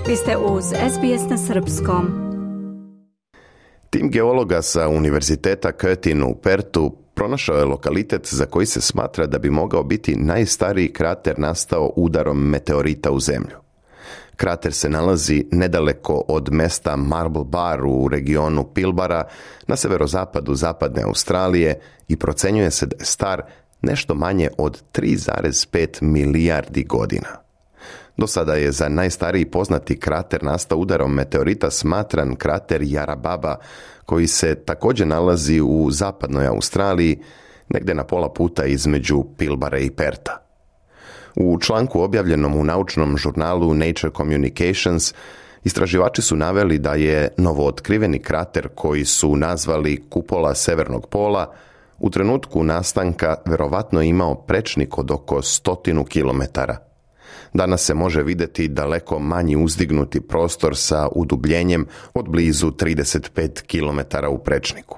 Vi ste uz SBS na srpskom. Tim geologa sa Univerziteta Curtin u Perthu pronašao je lokalitet za koji se smatra da bi mogao biti najstariji krater nastao udarom meteorita u zemlju. Krater se nalazi nedaleko od mesta Marble Bar u regionu Pilbara na severozapadu zapadne Australije i procenjuje se da je star nešto manje od 3,5 milijardi godina. Do sada je za najstariji poznati krater nastao udarom meteorita smatran krater Yarrababa, koji se također nalazi u zapadnoj Australiji, negdje na pola puta između Pilbara i Pertha. U članku objavljenom u naučnom žurnalu Nature Communications, istraživači su naveli da je novootkriveni krater koji su nazvali kupola severnog pola u trenutku nastanka verovatno imao prečnik od oko 100 kilometara. Danas se može vidjeti daleko manji uzdignuti prostor sa udubljenjem od blizu 35 km u prečniku.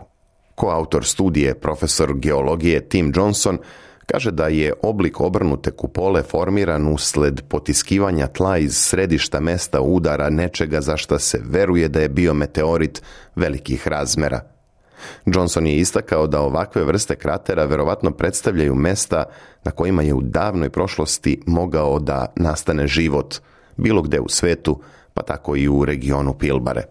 Koautor studije, profesor geologije Tim Johnson, kaže da je oblik obrnute kupole formiran usled potiskivanja tla iz središta mesta udara nečega za što se veruje da je bio meteorit velikih razmera. Johnson je istakao da ovakve vrste kratera verovatno predstavljaju mesta na kojima je u davnoj prošlosti mogao da nastane život, bilo gde u svetu, pa tako i u regionu Pilbare.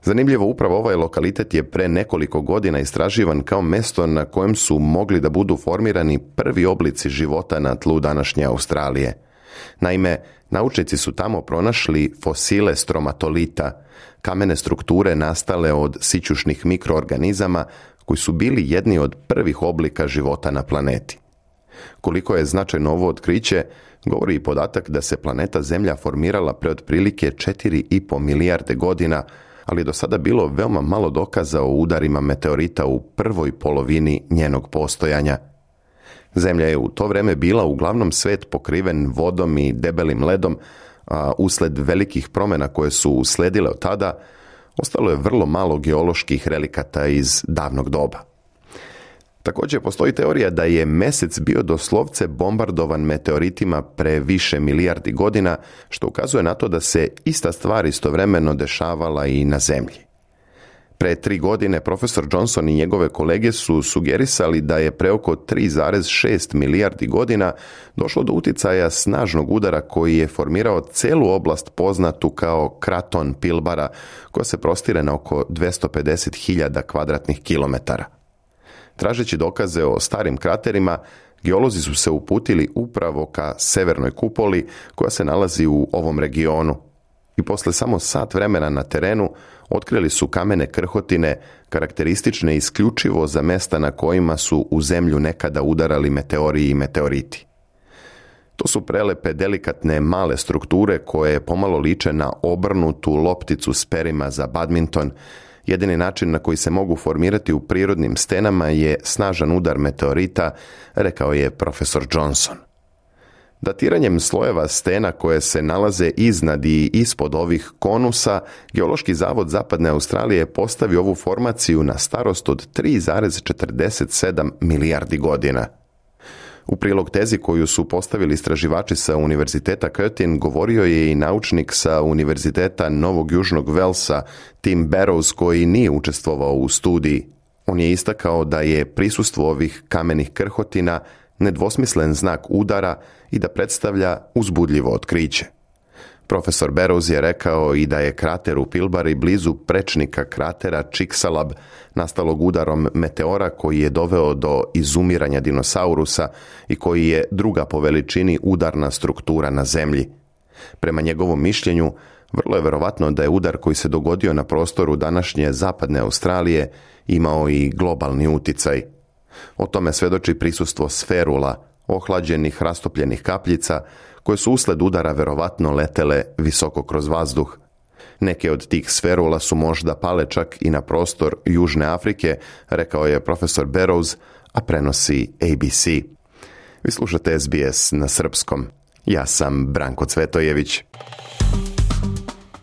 Zanimljivo, upravo ovaj lokalitet je pre nekoliko godina istraživan kao mesto na kojem su mogli da budu formirani prvi oblici života na tlu današnje Australije. Naime, naučnici su tamo pronašli fosile stromatolita, kamene strukture nastale od sićušnih mikroorganizama koji su bili jedni od prvih oblika života na planeti. Koliko je značajno ovo otkriće, govori i podatak da se planeta Zemlja formirala pre otprilike 4,5 milijarde godina, ali do sada bilo veoma malo dokaza o udarima meteorita u prvoj polovini njenog postojanja. Zemlja je u to vreme bila uglavnom svet pokriven vodom i debelim ledom, a usled velikih promjena koje su usledile od tada, ostalo je vrlo malo geoloških relikata iz davnog doba. Također postoji teorija da je Mesec bio doslovce bombardovan meteoritima pre više milijardi godina, što ukazuje na to da se ista stvar istovremeno dešavala i na Zemlji. Pre 3 godine profesor Johnson i njegove kolege su sugerisali da je pre oko 3,6 milijardi godina došlo do uticaja snažnog udara koji je formirao celu oblast poznatu kao kraton Pilbara, koja se prostire na oko 250.000 kvadratnih kilometara. Tražeći dokaze o starim kraterima, geolozi su se uputili upravo ka severnoj kupoli koja se nalazi u ovom regionu. I posle samo sat vremena na terenu otkrili su kamene krhotine karakteristične isključivo za mesta na kojima su u zemlju nekada udarali meteori i meteoriti. To su prelepe, delikatne, male strukture koje pomalo liče na obrnutu lopticu s perima za badminton. Jedini način na koji se mogu formirati u prirodnim stenama je snažan udar meteorita, rekao je profesor Johnson. Datiranjem slojeva stena koje se nalaze iznad i ispod ovih konusa, Geološki zavod Zapadne Australije je postavio ovu formaciju na starost od 3,47 milijardi godina. U prilog tezi koju su postavili istraživači sa Univerziteta Curtin govorio je i naučnik sa Univerziteta Novog Južnog Velsa Tim Barrows, koji nije učestvovao u studiji. On je istakao da je prisustvo ovih kamenih krhotina nedvosmislen znak udara i da predstavlja uzbudljivo otkriće. Profesor Barrows je rekao i da je krater u Pilbari blizu prečnika kratera Chicxulub, nastalog udarom meteora koji je doveo do izumiranja dinosaurusa i koji je druga po veličini udarna struktura na Zemlji. Prema njegovom mišljenju, vrlo je verovatno da je udar koji se dogodio na prostoru današnje zapadne Australije imao i globalni uticaj. O tome svedoči prisustvo sferula, ohlađenih rastopljenih kapljica, koje su usled udara verovatno letele visoko kroz vazduh. Neke od tih sferula su možda pale čak i na prostor Južne Afrike, rekao je profesor Barrows, a prenosi ABC. Vi slušate SBS na srpskom. Ja sam Branko Cvetojević.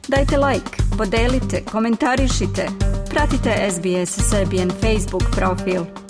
Dajte like, podelite, komentarišite. Pratite SBS Serbian Facebook profil.